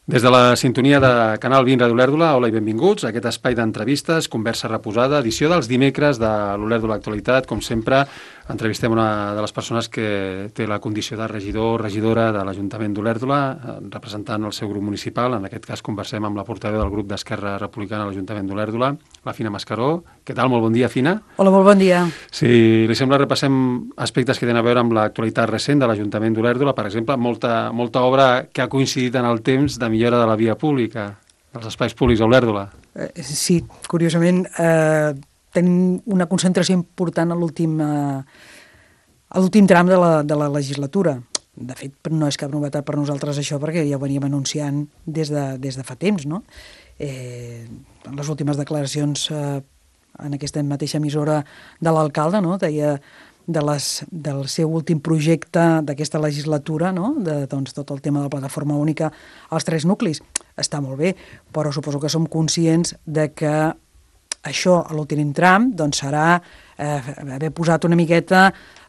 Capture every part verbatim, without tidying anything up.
Des de la sintonia de Canal vint Ràdio Olèrdola, hola i benvinguts a aquest espai d'entrevistes, conversa reposada, edició dels dimecres de l'Olèrdola Actualitat. Com sempre, entrevistem una de les persones que té la condició de regidor o regidora de l'Ajuntament d'Olèrdola, representant el seu grup municipal. En aquest cas conversem amb la portaveu del grup d'Esquerra Republicana a l'Ajuntament d'Olèrdola, la Fina Mascaró. Què tal? Molt bon dia, Fina. Hola, molt bon dia. Si li sembla, repassem aspectes que tenen a veure amb l'actualitat recent de l'Ajuntament d'Olèrdola. Per exemple, molta, molta obra que ha coincidit en el temps de millora de la via pública, dels espais públics a Olèrdola. Eh, sí, curiosament, eh, tenim una concentració important a l'últim eh, a l'últim tram de la, de la legislatura. De fet, no és cap novetat per nosaltres això, perquè ja ho veníem anunciant des de, des de fa temps, no? Eh, en les últimes declaracions eh, en aquesta mateixa emissora de l'alcalde, no? Deia de les, del seu últim projecte d'aquesta legislatura, no? De doncs, tot el tema de la plataforma única als tres nuclis. Està molt bé, però suposo que som conscients de que això, a l'últim tram, doncs serà eh, haver posat una miqueta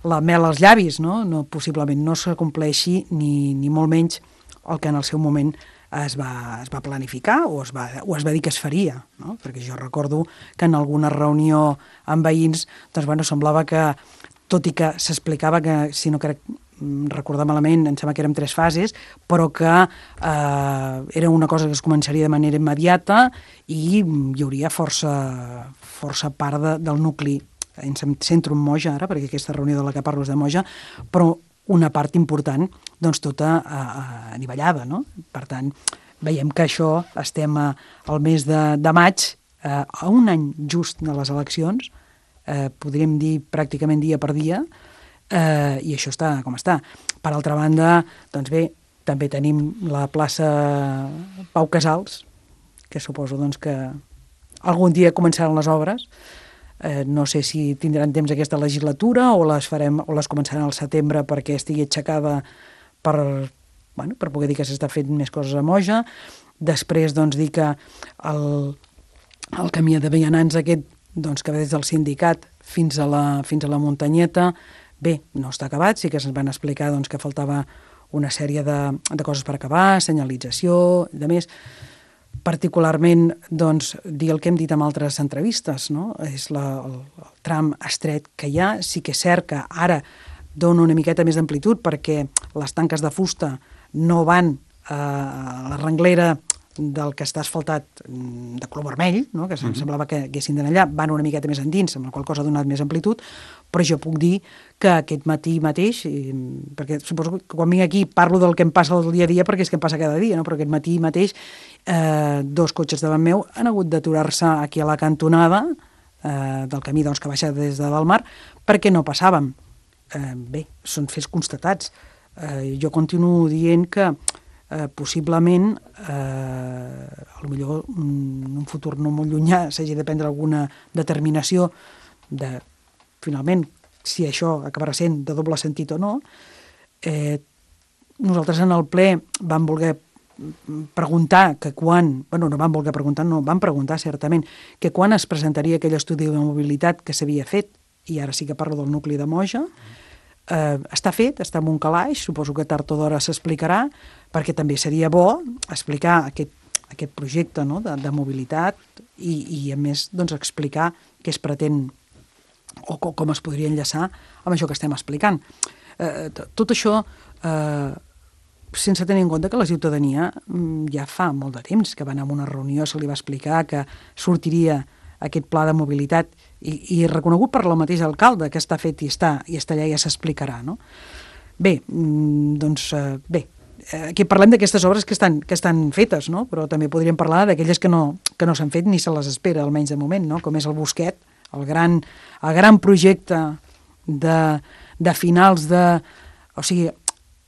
la mel als llavis, no? No, possiblement no s'acompleixi ni, ni molt menys el que en el seu moment es va, es va planificar o es va, o es va dir que es faria, no? Perquè jo recordo que en alguna reunió amb veïns doncs, bueno, semblava que, tot i que s'explicava que, si no crec recordar malament, em sembla que érem tres fases, però que eh, era una cosa que es començaria de manera immediata i hi hauria força, força part de, del nucli. Em centro en Moja ara, perquè aquesta reunió de la que parlo és de Moja, però una part important, doncs tota eh, anivellada, no? Per tant, veiem que això estem a, al mes de, de maig, eh, a un any just de les eleccions, eh, podríem dir pràcticament dia per dia, eh, i això està com està. Per altra banda, doncs bé, també tenim la plaça Pau Casals, que suposo doncs, que algun dia començaran les obres. Eh, no sé si tindran temps aquesta legislatura o les farem o les començaran al setembre perquè estigui aixecada per, bueno, per poder dir que s'està fent més coses a Moja. Després, doncs, dir que el, el camí de vianants aquest, doncs, que ve des del sindicat fins a la, fins a la muntanyeta, bé, no està acabat, sí que se'ns van explicar doncs, que faltava una sèrie de, de coses per acabar, senyalització i de més. Particularment, doncs, dir el que hem dit en altres entrevistes, no? És la, el, el tram estret que hi ha. Sí que és cert que ara dona una miqueta més d'amplitud perquè les tanques de fusta no van eh, a la renglera del que està asfaltat de color vermell, no? Que mm-hmm. semblava que haguessin d'anar allà, van una miqueta més endins, amb la qual cosa ha donat més amplitud, però jo puc dir que aquest matí mateix, i, perquè suposo que quan vinc aquí parlo del que em passa el dia a dia, perquè és que em passa cada dia, no? Però aquest matí mateix eh, dos cotxes davant meu han hagut d'aturar-se aquí a la cantonada eh, del camí doncs, que baixa des de Dalmar, perquè no passàvem. Eh, bé, són fets constatats. Eh, jo continuo dient que Eh, possiblement eh, a lo millor en un futur no molt llunyà s'hagi de prendre alguna determinació de, finalment, si això acabarà sent de doble sentit o no. Eh, nosaltres en el ple vam voler preguntar que quan, bueno, no vam voler preguntar, no, vam preguntar certament que quan es presentaria aquell estudi de mobilitat que s'havia fet, i ara sí que parlo del nucli de Moja. Eh, està fet, està en un calaix, suposo que tard o d'hora s'explicarà, perquè també seria bo explicar aquest, aquest projecte, no? de, de mobilitat i, i a més doncs, explicar què es pretén o com, com es podria enllaçar amb això que estem explicant. Eh, tot això eh, sense tenir en compte que la ciutadania ja fa molt de temps que va anar a una reunió, se li va explicar que sortiria aquest pla de mobilitat i, i reconegut per la mateixa alcalde que està fet i està, i està allà i ja s'explicarà, no? Bé, doncs eh, bé, aquí parlem d'aquestes obres que estan, que estan fetes, no? Però també podríem parlar d'aquelles que no, que no s'han fet ni se les espera, almenys de moment, no? Com és el Bosquet, el gran, el gran projecte de, de finals de... O sigui,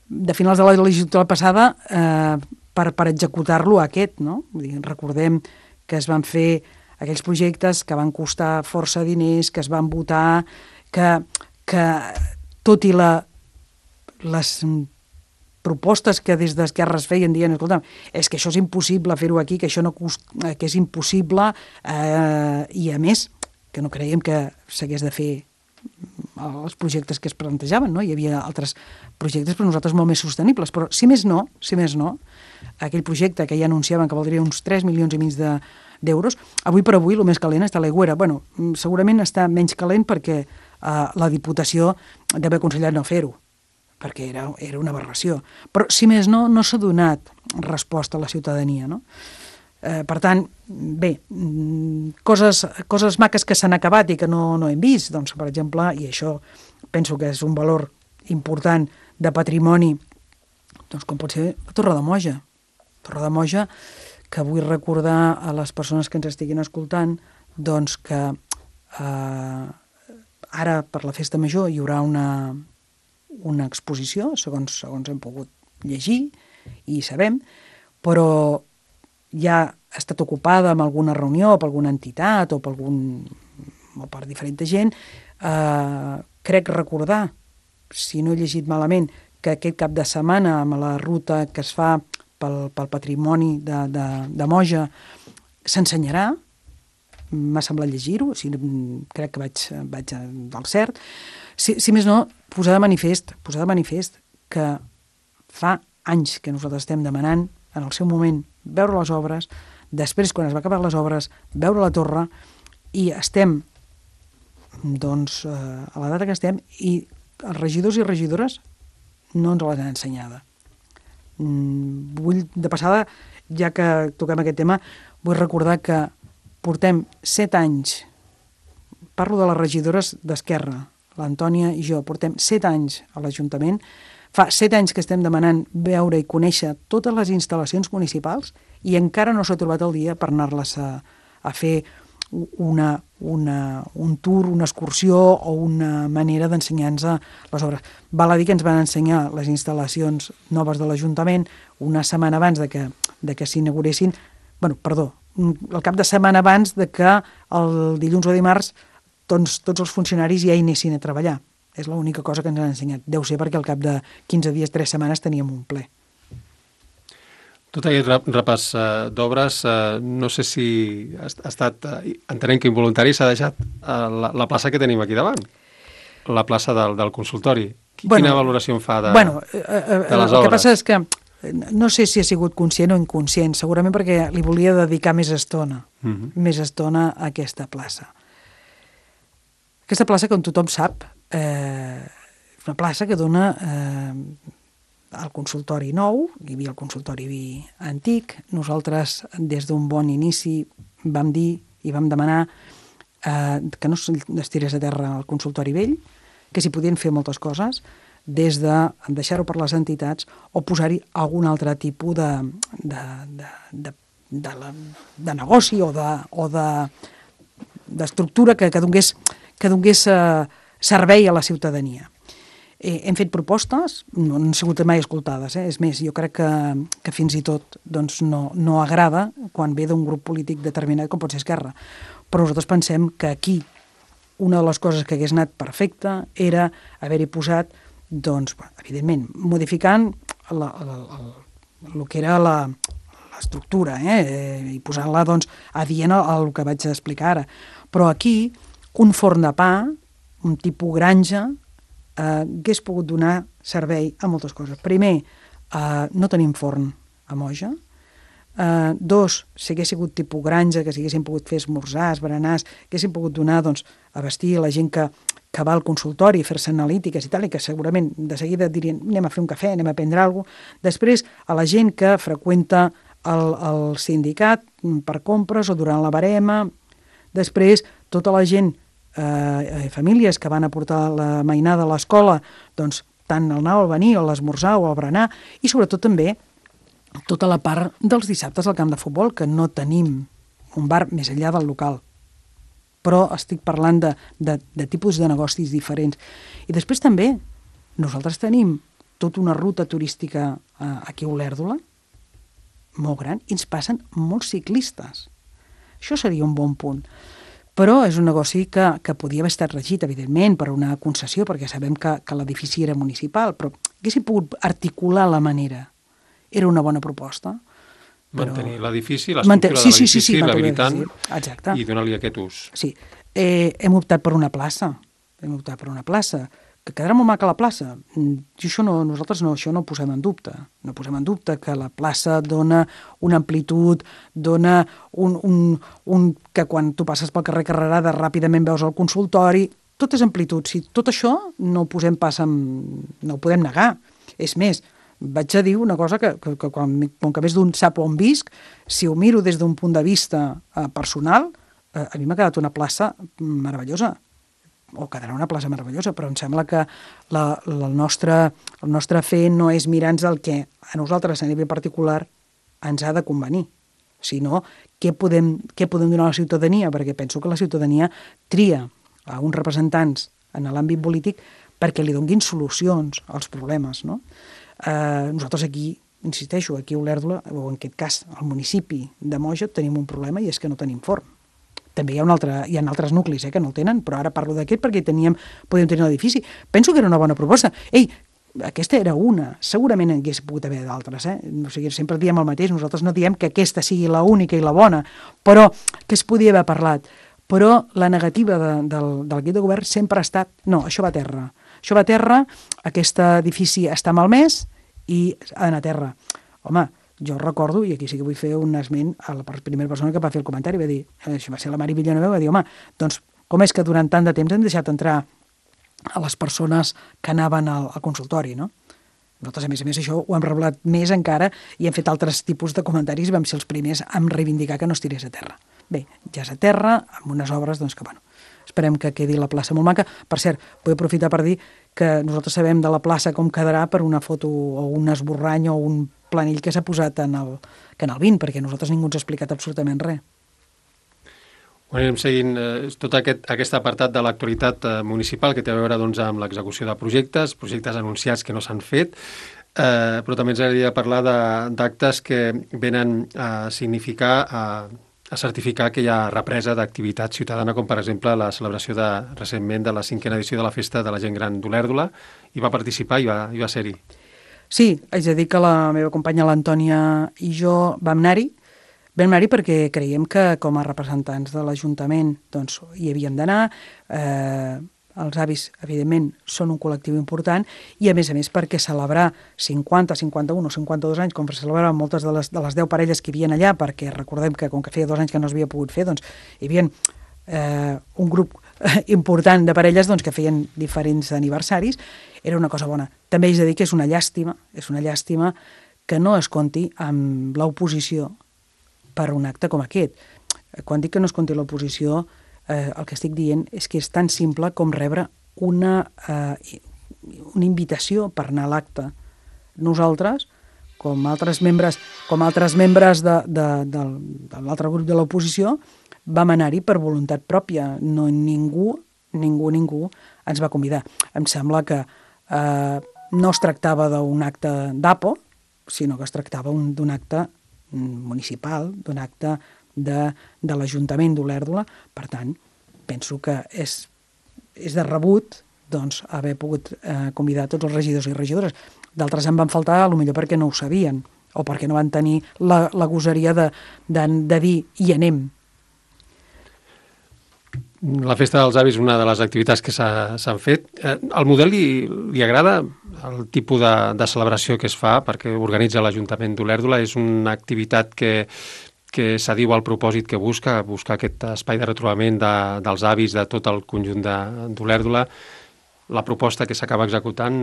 de finals de la legislatura passada eh, per, per executar-lo aquest, no? Vull dir, recordem que es van fer aquells projectes que van costar força diners, que es van votar, que, que tot i la, les propostes que des d'Esquerra es feien dient, escolta, és que això és impossible fer-ho aquí, que això no cost, que és impossible, eh, i a més, que no creiem que s'hagués de fer els projectes que es plantejaven, no? Hi havia altres projectes per nosaltres molt més sostenibles, però si més no, si més no, aquell projecte que ja anunciaven que valdria uns tres milions i mig de, d'euros, avui per avui el més calent està a l'Aigüera. Bueno, segurament està menys calent perquè eh, la Diputació d'haver aconsellat no fer-ho, perquè era, era una aberració. Però, si més no, no s'ha donat resposta a la ciutadania, no? Eh, per tant, bé, coses, coses maques que s'han acabat i que no, no hem vist, doncs, per exemple, i això penso que és un valor important de patrimoni, doncs com pot ser Torredemoja. Torredemoja, que vull recordar a les persones que ens estiguin escoltant, doncs que eh, ara per la festa major hi haurà una, una exposició, segons, segons hem pogut llegir i sabem, però ja ha estat ocupada amb alguna reunió, per alguna entitat o per, algun, o per diferent gent. Eh, crec recordar, si no he llegit malament, que aquest cap de setmana amb la ruta que es fa pel, pel patrimoni de, de, de Moja s'ensenyarà, m'ha semblat llegir-ho, o sigui, crec que vaig, vaig del cert. Si, si més no, posar de manifest, posar de manifest que fa anys que nosaltres estem demanant en el seu moment veure les obres, després, quan es va acabar les obres, veure la torre, i estem, doncs, eh, a la data que estem, i els regidors i regidores no ens l'han ensenyada. Mm, vull, de passada, ja que toquem aquest tema, vull recordar que portem set anys, parlo de les regidores d'Esquerra, l'Antònia i jo, portem set anys a l'Ajuntament. Fa set anys que estem demanant veure i conèixer totes les instal·lacions municipals i encara no s'ha trobat el dia per anar-les a, a fer una, una, un tour, una excursió o una manera d'ensenyar-nos les obres. Val a dir que ens van ensenyar les instal·lacions noves de l'Ajuntament una setmana abans de que, de que s'inauguressin, bueno, perdó, el cap de setmana abans de que el dilluns o dimarts doncs, tots els funcionaris ja hi anessin a treballar. És l'única cosa que ens han ensenyat. Deu ser perquè al cap de quinze dies, tres setmanes teníem un ple. Tot aquest repàs uh, d'obres, uh, no sé si ha estat, uh, entenem que involuntari, s'ha deixat uh, la, la plaça que tenim aquí davant, la plaça del, del consultori. Quina bueno, valoració en fa de, bueno, uh, uh, de les obres? El que passa és que no sé si ha sigut conscient o inconscient, segurament perquè li volia dedicar més estona, uh -huh. més estona a aquesta plaça. Aquesta plaça, com tothom sap, eh, és una plaça que dona eh, al consultori nou, hi havia el consultori antic. Nosaltres, des d'un bon inici, vam dir i vam demanar eh, que no es tirés a terra el consultori vell, que s'hi podien fer moltes coses, des de deixar-ho per les entitats o posar-hi algun altre tipus de, de, de, de, de, la, de negoci o de, o de, d'estructura que, que donés, que donés eh, servei a la ciutadania. Eh, hem fet propostes, no han sigut mai escoltades, eh? És més, jo crec que, que fins i tot doncs, no, no agrada quan ve d'un grup polític determinat com pot ser Esquerra. Però nosaltres pensem que aquí una de les coses que hagués anat perfecta era haver-hi posat, doncs, evidentment, modificant la, la, la, el que era la, l'estructura, eh? I posant-la doncs, adient al que vaig explicar ara. Però aquí, un forn de pa, un tipus granja, eh, hagués pogut donar servei a moltes coses. Primer, eh, no tenim forn a Moja. Eh, dos, si hagués sigut tipus granja, que s'haguessin pogut fer esmorzars, berenars, haguessin pogut donar, doncs, a vestir a la gent que, que va al consultori, fer-se analítiques i tal, i que segurament de seguida dirien anem a fer un cafè, anem a prendre alguna cosa. Després, a la gent que freqüenta el, el sindicat per compres o durant la barema. Després, tota la gent, eh, famílies que van a portar la mainada a l'escola, doncs tant el anar o el venir, o l'esmorzar o el berenar, i sobretot també tota la part dels dissabtes al camp de futbol, que no tenim un bar més enllà del local. Però estic parlant de, de, de tipus de negocis diferents. I després també nosaltres tenim tota una ruta turística eh, aquí a Olèrdola, molt gran, i ens passen molts ciclistes. Això seria un bon punt. Però és un negoci que, que podia haver estat regit, evidentment, per una concessió, perquè sabem que, que l'edifici era municipal, però haguéssim pogut articular la manera. Era una bona proposta. Però... Mantenir l'edifici, l'estructura sí, sí, de l'edifici, sí, sí, l'habilitant i donar-li aquest ús. Sí. Eh, hem optat per una plaça. vam optar per una plaça, que quedarà molt maca la plaça. I això no, nosaltres no, això no ho posem en dubte. No posem en dubte que la plaça dona una amplitud, dona un, un, un que quan tu passes pel carrer Carrerada ràpidament veus el consultori, tot és amplitud. Si tot això no ho posem pas en... no ho podem negar. És més, vaig a dir una cosa que, que, que quan, com que més d'un sap on visc, si ho miro des d'un punt de vista eh, personal, eh, a mi m'ha quedat una plaça meravellosa, o quedarà una plaça meravellosa, però em sembla que la, la, el, nostre, el nostre fer no és mirar-nos el que a nosaltres a nivell particular ens ha de convenir, sinó què podem, què podem donar a la ciutadania, perquè penso que la ciutadania tria a uns representants en l'àmbit polític perquè li donguin solucions als problemes, no? Eh, nosaltres aquí, insisteixo, aquí a Olèrdola, o en aquest cas al municipi de Moja, tenim un problema i és que no tenim forn. També hi ha, un altre, hi ha altres nuclis eh, que no el tenen, però ara parlo d'aquest perquè teníem, podíem tenir l'edifici. Penso que era una bona proposta. Ei, aquesta era una, segurament en hagués pogut haver d'altres. Eh? O sigui, sempre diem el mateix, nosaltres no diem que aquesta sigui la única i la bona, però que es podia haver parlat. Però la negativa de, del, del equip de govern sempre ha estat, no, això va a terra. Això va a terra, aquest edifici està malmès i ha d'anar a terra. Home, jo recordo, i aquí sí que vull fer un esment a la primera persona que va fer el comentari, va dir, això va ser la Mari Villanueva, va dir, home, doncs com és que durant tant de temps hem deixat entrar a les persones que anaven al, al consultori, no? Nosaltres, a més a més, això ho hem reblat més encara i hem fet altres tipus de comentaris i vam ser els primers a reivindicar que no es tirés a terra. Bé, ja és a terra, amb unes obres, doncs que, bueno, esperem que quedi la plaça molt maca. Per cert, vull aprofitar per dir que nosaltres sabem de la plaça com quedarà per una foto o un esborrany o un planell que s'ha posat en el Canal vint, perquè nosaltres ningú ens ha explicat absolutament res. Ho anem seguint eh, tot aquest, aquest apartat de l'actualitat eh, municipal que té a veure doncs, amb l'execució de projectes, projectes anunciats que no s'han fet, eh, però també ens agradaria parlar d'actes que venen a significar, a, a certificar que hi ha represa d'activitat ciutadana, com per exemple la celebració de, recentment de la cinquena edició de la Festa de la Gent Gran d'Olèrdola, i va participar i va, i va ser-hi. Sí, haig de dir que la meva companya l'Antònia i jo vam anar-hi, vam anar-hi perquè creiem que com a representants de l'Ajuntament doncs, hi havíem d'anar, eh, els avis, evidentment, són un col·lectiu important i, a més a més, perquè celebrar cinquanta, cinquanta-un o cinquanta-dos anys, com celebraven moltes de les, de les deu parelles que hi havia allà, perquè recordem que com que feia dos anys que no s'havia pogut fer, doncs hi havia eh, un grup important de parelles doncs, que feien diferents aniversaris, era una cosa bona. També haig de dir que és una llàstima, és una llàstima que no es compti amb l'oposició per un acte com aquest. Quan dic que no es compti l'oposició, eh, el que estic dient és que és tan simple com rebre una, eh, una invitació per anar a l'acte. Nosaltres, com altres membres, com altres membres de, de, de, de l'altre grup de l'oposició, vam anar-hi per voluntat pròpia. No, ningú, ningú, ningú ens va convidar. Em sembla que eh, no es tractava d'un acte d'A P O, sinó que es tractava d'un acte municipal, d'un acte de, de l'Ajuntament d'Olèrdola. Per tant, penso que és, és de rebut doncs, haver pogut eh, convidar tots els regidors i regidores. D'altres en van faltar, potser perquè no ho sabien, o perquè no van tenir la, la gosaria de, de, de dir hi anem. La Festa dels Avis és una de les activitats que s'han fet. El model li, li agrada? El tipus de, de celebració que es fa perquè organitza l'Ajuntament d'Olèrdola és una activitat que, que s'adiu al propòsit que busca, buscar aquest espai de retrobament de, dels avis de tot el conjunt d'Olèrdola. La proposta que s'acaba executant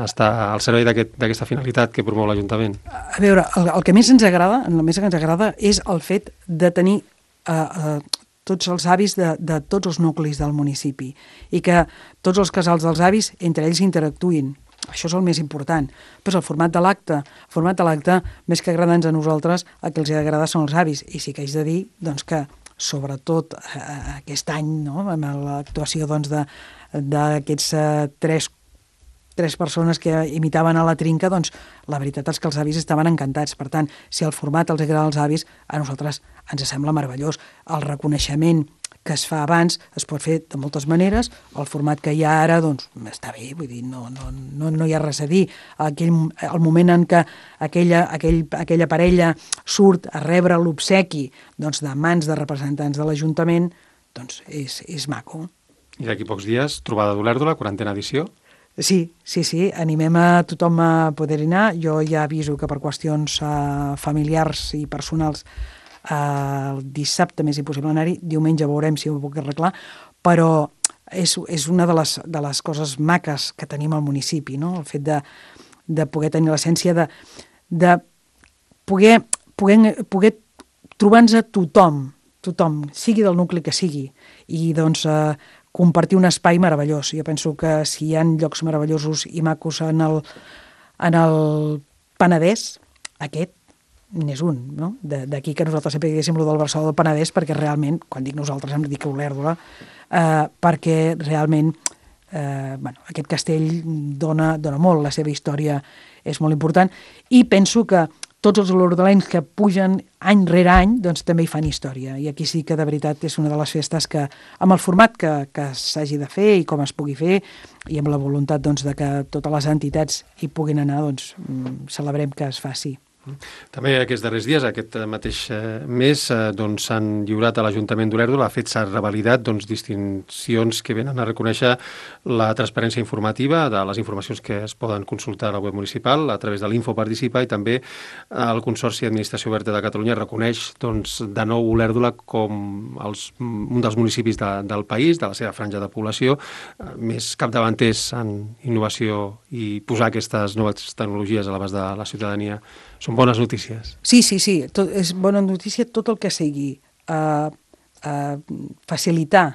està al servei d'aquesta aquest, finalitat que promou l'Ajuntament. A veure, el, el que més ens agrada, el més que ens agrada és el fet de tenir eh, eh, tots els avis de, de tots els nuclis del municipi i que tots els casals dels avis entre ells interactuïn. Això és el més important. Però el format de l'acte, el format de l'acte, més que agradar-nos a nosaltres, el que els ha d'agradar són els avis. I sí que haig de dir doncs, que, sobretot eh, aquest any, no, amb l'actuació doncs, de, d'aquests eh, tres, tres persones que imitaven a la trinca, doncs la veritat és que els avis estaven encantats. Per tant, si el format els agrada als avis, a nosaltres ens sembla meravellós. El reconeixement que es fa abans es pot fer de moltes maneres, el format que hi ha ara, doncs, està bé, vull dir, no, no, no, no hi ha res a dir. Aquell, el moment en què aquella, aquell, aquella parella surt a rebre l'obsequi doncs, de mans de representants de l'Ajuntament, doncs és, és maco. I d'aquí pocs dies, trobada d'Olèrdola, quarantena edició. Sí, sí, sí, animem a tothom a poder anar. Jo ja aviso que per qüestions uh, familiars i personals uh, el dissabte més impossible anar-hi, diumenge veurem si ho puc arreglar, però és, és una de les, de les coses maques que tenim al municipi, no? El fet de, de poder tenir l'essència de, de poder, poder, poder trobar-nos a tothom, tothom, sigui del nucli que sigui, i doncs uh, compartir un espai meravellós. Jo penso que si hi ha llocs meravellosos i macos en el, en el Penedès, aquest n'és un, no? D'aquí que nosaltres sempre diguéssim lo del Barcelona del Penedès, perquè realment, quan dic nosaltres em dic Olèrdola, eh, perquè realment eh, bueno, aquest castell dona, dona molt, la seva història és molt important, i penso que tots els olordolencs que pugen any rere any, doncs també hi fan història. I aquí sí que de veritat és una de les festes que, amb el format que, que s'hagi de fer i com es pugui fer, i amb la voluntat doncs, de que totes les entitats hi puguin anar, doncs celebrem que es faci. També aquests darrers dies, aquest mateix mes, doncs, s'han lliurat a l'Ajuntament d'Olèrdola, ha fet s'ha revalidat doncs, distincions que venen a reconèixer la transparència informativa de les informacions que es poden consultar a la web municipal a través de l'Info Participa, i també el Consorci d'Administració Oberta de Catalunya reconeix doncs, de nou Olèrdola com els, un dels municipis de, del país, de la seva franja de població, més capdavanters en innovació i posar aquestes noves tecnologies a l'abast de la ciutadania. Són bones notícies. Sí, sí, sí. Tot, és bona notícia tot el que sigui uh, uh, facilitar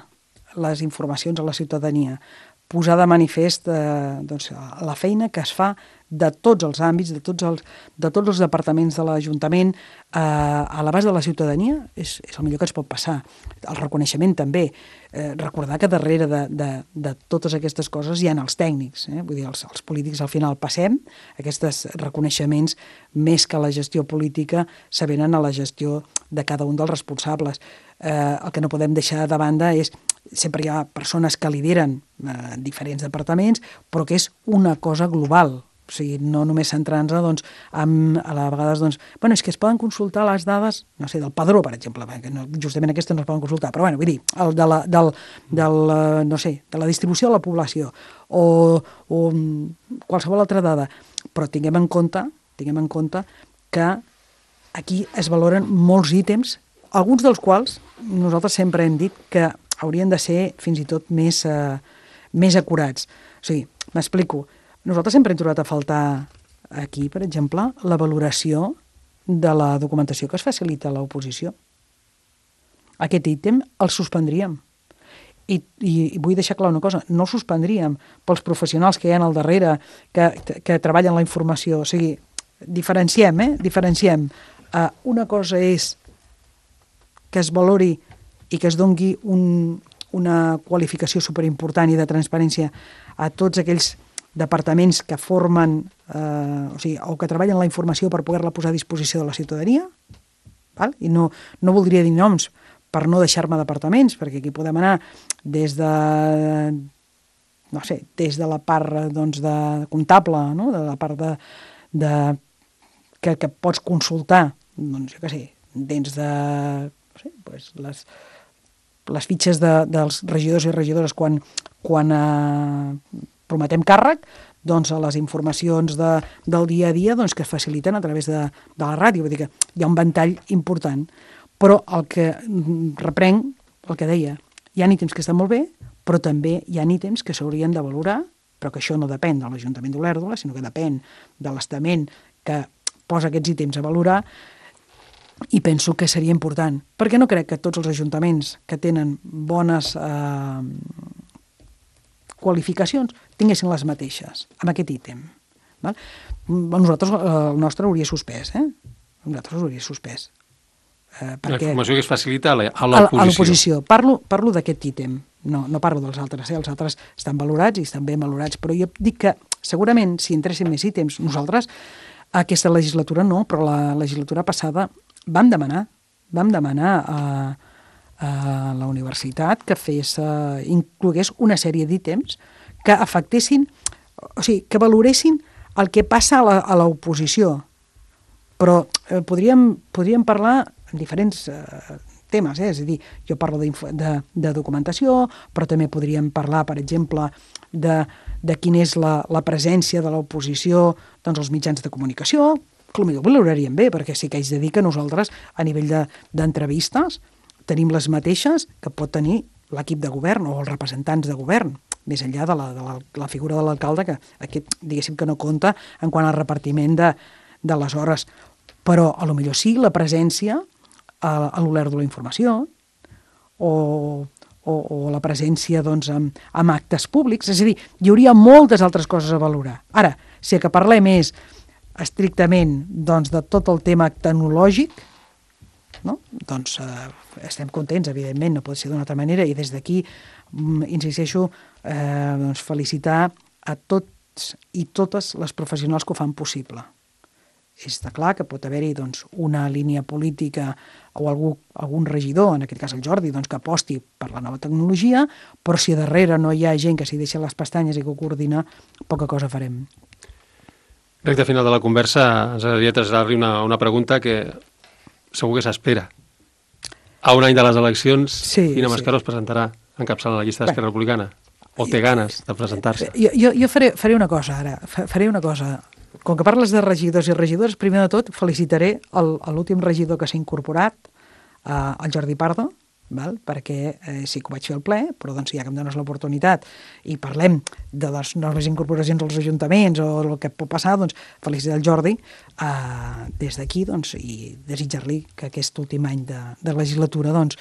les informacions a la ciutadania, posar de manifest uh, doncs, la feina que es fa de tots els àmbits, de tots els, de tots els departaments de l'Ajuntament eh, a l'abast de la ciutadania, és, és el millor que ens pot passar. El reconeixement també. Eh, recordar que darrere de, de, de totes aquestes coses hi ha els tècnics. Eh? Vull dir, els, els polítics al final passem, aquests reconeixements, més que la gestió política, s'avenen a la gestió de cada un dels responsables. Eh, el que no podem deixar de banda és sempre hi ha persones que lideren eh, diferents departaments, però que és una cosa global. O sigui, no només centrant-se, doncs, amb, a la vegades, doncs, bueno, és que es poden consultar les dades, no sé, del padró, per exemple, que no, justament aquestes no es poden consultar, però bueno, vull dir, el de la, del, del, no sé, de la distribució de la població, o, o qualsevol altra dada, però tinguem en compte, tinguem en compte que aquí es valoren molts ítems, alguns dels quals nosaltres sempre hem dit que haurien de ser fins i tot més, eh, més acurats. O sigui, m'explico. Nosaltres sempre hem trobat a faltar aquí, per exemple, la valoració de la documentació que es facilita a l'oposició. Aquest ítem el suspendríem. I, i, I vull deixar clar una cosa, no el suspendríem pels professionals que hi ha al darrere, que, que treballen la informació. O sigui, diferenciem, eh? Diferenciem. Uh, una cosa és que es valori i que es dongui un, una qualificació superimportant i de transparència a tots aquells departaments que formen eh, o sigui, o que treballen la informació per poder-la posar a disposició de la ciutadania, val? I no, no voldria dir noms per no deixar-me departaments, perquè aquí podem anar des de no sé, des de la part doncs, de comptable, no? De la part de, de que, que pots consultar, doncs jo què sé, dins de no sé, pues les les fitxes de, dels regidors i regidores quan, quan eh, prometem càrrec, doncs a les informacions de, del dia a dia doncs, que es faciliten a través de, de la ràdio. Vull dir que hi ha un ventall important. Però el que reprenc, el que deia, hi ha ítems que estan molt bé, però també hi ha ítems que s'haurien de valorar, però que això no depèn de l'Ajuntament d'Olèrdola, sinó que depèn de l'estament que posa aquests ítems a valorar, i penso que seria important, perquè no crec que tots els ajuntaments que tenen bones eh, qualificacions tinguessin les mateixes amb aquest ítem. Val? Nosaltres, el nostre hauria suspès, eh? Nosaltres hauria suspès. Eh, perquè, la informació que es facilita a l'oposició. A l'oposició. Parlo, parlo d'aquest ítem, no, no parlo dels altres, eh? Els altres estan valorats i estan ben valorats, però jo dic que segurament si entressin més ítems, nosaltres aquesta legislatura no, però la legislatura passada vam demanar, vam demanar a, a la universitat que fes, uh, inclogués una sèrie d'ítems que afectessin, o sigui, que valoressin el que passa a l'oposició. Però eh, podríem, podríem parlar en diferents, eh, temes, eh? És a dir, jo parlo de, de documentació, però també podríem parlar, per exemple, de, de quina és la, la presència de l'oposició doncs, als mitjans de comunicació, que potser valoraríem bé, perquè sí que haig de dir que nosaltres, a nivell d'entrevistes, de, tenim les mateixes que pot tenir l'equip de govern o els representants de govern, més enllà de la, de la, la figura de l'alcalde, que aquest, diguéssim, que no compta en quant al repartiment de, de les hores. Però, a lo millor sí, la presència a, a l'Olèrdola de la informació o, o, o la presència doncs, amb, amb actes públics. És a dir, hi hauria moltes altres coses a valorar. Ara, si el que parlem és estrictament doncs, de tot el tema tecnològic, no? Doncs eh, estem contents, evidentment, no pot ser d'una altra manera, i des d'aquí, mm, insisteixo, eh, doncs felicitar a tots i totes les professionals que ho fan possible. Està clar que pot haver-hi doncs, una línia política o algú, algun regidor, en aquest cas el Jordi, doncs, que aposti per la nova tecnologia, però si darrere no hi ha gent que s'hi deixa les pestanyes i que ho coordina, poca cosa farem. Recte final de la conversa, ens agradaria traslladar-li una, una pregunta que segur que s'espera. A un any de les eleccions, sí, Fina Mascaró sí. es presentarà encapçalant la llista d'Esquerra Republicana? O té ganes de presentar-se? Jo, jo, jo faré, faré una cosa ara, faré una cosa. Com que parles de regidors i regidores, primer de tot felicitaré l'últim regidor que s'ha incorporat, eh, el Jordi Pardo, val? Perquè eh, sí que ho vaig fer al ple, però doncs, ja que em dones l'oportunitat i parlem de les noves incorporacions als ajuntaments o el que pot passar, doncs felicitar el Jordi eh, des d'aquí doncs, i desitjar-li que aquest últim any de, de legislatura doncs,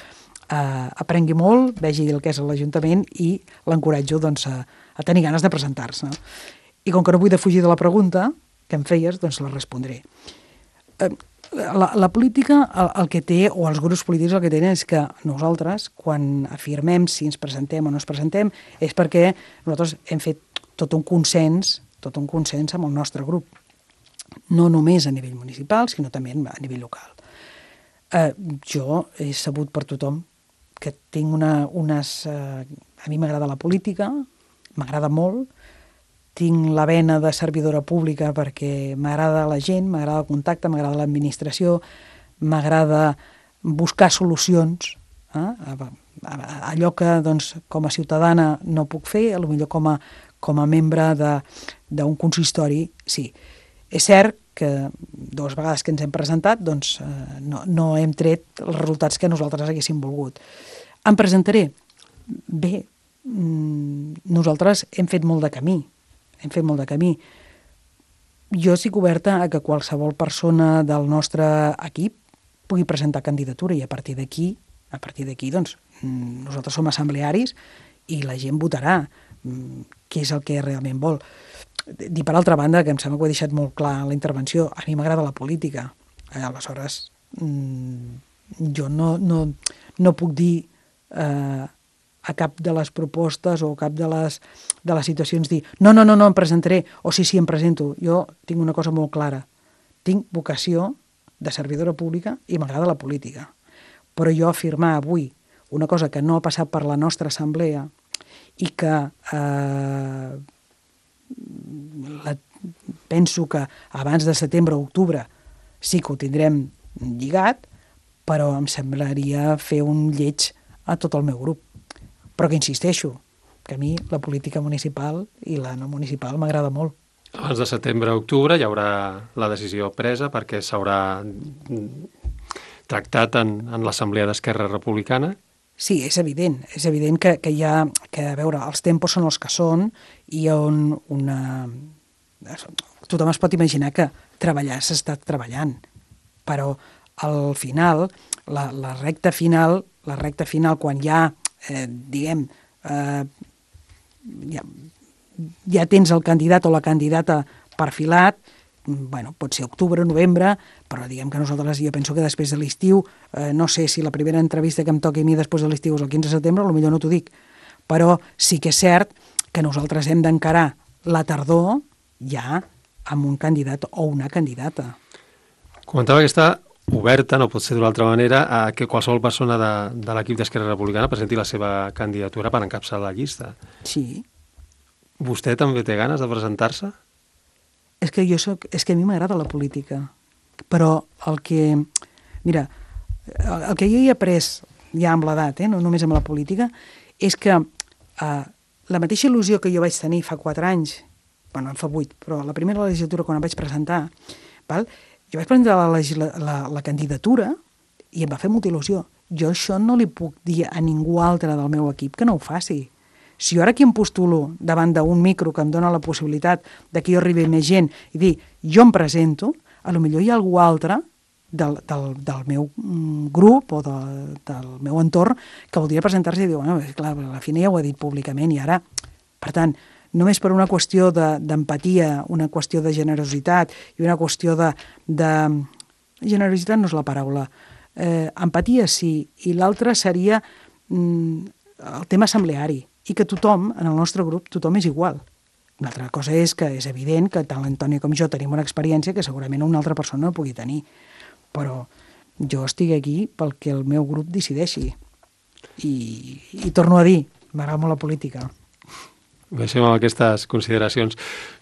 eh, aprengui molt, vegi el que és l'Ajuntament i l'encoratjo doncs, a, a tenir ganes de presentar-se. I com que no vull defugir de la pregunta que em feies, doncs la respondré. Eh, La, la política, el, el que té, o els grups polítics el que tenen és que nosaltres, quan afirmem si ens presentem o no ens presentem, és perquè nosaltres hem fet tot un consens, tot un consens amb el nostre grup. No només a nivell municipal, sinó també a nivell local. Eh, jo he sabut per tothom que tinc una, unes... Eh, a mi m'agrada la política, m'agrada molt, tinc la vena de servidora pública perquè m'agrada la gent, m'agrada el contacte, m'agrada l'administració, m'agrada buscar solucions. Eh? Allò que doncs, com a ciutadana no puc fer, potser com a, com a membre d'un consistori, sí. És cert que dues vegades que ens hem presentat doncs, eh, no, no hem tret els resultats que nosaltres haguéssim volgut. Em presentaré? Bé, nosaltres hem fet molt de camí. hem fet molt de camí. Jo estic oberta a que qualsevol persona del nostre equip pugui presentar candidatura i a partir d'aquí, a partir d'aquí, doncs, nosaltres som assemblearis i la gent votarà què és el que realment vol. Dir per altra banda, que em sembla que ho he deixat molt clar en la intervenció, a mi m'agrada la política. Aleshores, jo no, no, no puc dir eh, a cap de les propostes o a cap de les, de les situacions dir no, no, no, no em presentaré, o sí, sí, em presento. Jo tinc una cosa molt clara. Tinc vocació de servidora pública i m'agrada la política. Però jo afirmar avui una cosa que no ha passat per la nostra assemblea i que eh, la, penso que abans de setembre o octubre sí que ho tindrem lligat, però em semblaria fer un lleig a tot el meu grup. Però que insisteixo, que a mi la política municipal i la no municipal m'agrada molt. Abans de setembre o octubre hi haurà la decisió presa perquè s'haurà tractat en, en l'Assemblea d'Esquerra Republicana? Sí, és evident. És evident que, que hi ha... que, a veure, els tempos són els que són i on una... tothom es pot imaginar que treballar s'ha estat treballant, però al final, la, la recta final, la recta final quan hi ha Eh, diguem, eh, ja, ja tens el candidat o la candidata perfilat, bueno, pot ser octubre, novembre, però diguem que nosaltres, jo penso que després de l'estiu, eh, no sé si la primera entrevista que em toqui a mi després de l'estiu és el quinze de setembre, potser no t'ho dic, però sí que és cert que nosaltres hem d'encarar la tardor ja amb un candidat o una candidata. Comentava que està oberta, no pot ser d'una altra manera, a que qualsevol persona de, de l'equip d'Esquerra Republicana presenti la seva candidatura per encapçalar la llista. Sí. Vostè també té ganes de presentar-se? És que jo soc, és que a mi m'agrada la política, però el que... Mira, el, el que jo he après ja amb l'edat, eh, no només amb la política, és que eh, la mateixa il·lusió que jo vaig tenir fa quatre anys, bueno, en fa vuit, però la primera legislatura quan em vaig presentar, val? Jo vaig presentar la, legisla, la, la candidatura i em va fer molta il·lusió. Jo això no li puc dir a ningú altre del meu equip que no ho faci. Si jo ara aquí em postulo davant d'un micro que em dona la possibilitat de que jo arribi més gent i dir, jo em presento, a lo millor hi ha algú altre del, del, del meu grup o de, del meu entorn que voldria presentar-se i dir, bueno, clar, a la fi ja ho he dit públicament i ara, per tant, només per una qüestió d'empatia, de, una qüestió de generositat i una qüestió de... de generositat no és la paraula, eh, empatia sí, i l'altra seria mm, el tema assembleari, i que tothom, en el nostre grup, tothom és igual. Una altra cosa és que és evident que tant l'Antoni com jo tenim una experiència que segurament una altra persona no pugui tenir, però jo estic aquí pel que el meu grup decideixi. I, i torno a dir, m'agrada molt la política. Deixem amb aquestes consideracions.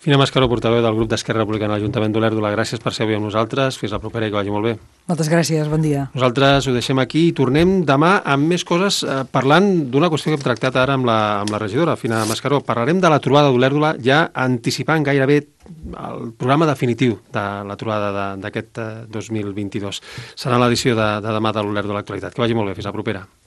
Fina Mascaró, portaveu del grup d'Esquerra Republicana a l'Ajuntament d'Olèrdola, gràcies per ser avui amb nosaltres. Fins la propera i que vagi molt bé. Moltes gràcies, bon dia. Nosaltres ho deixem aquí i tornem demà amb més coses, eh, parlant d'una qüestió que hem tractat ara amb la, amb la regidora, Fina Mascaró. Parlarem de la trobada d'Olèrdola, ja anticipant gairebé el programa definitiu de la trobada d'aquest dos mil vint-i-dos. Serà l'edició de, de demà de l'Olèrdola Actualitat. Que vagi molt bé, fins la propera.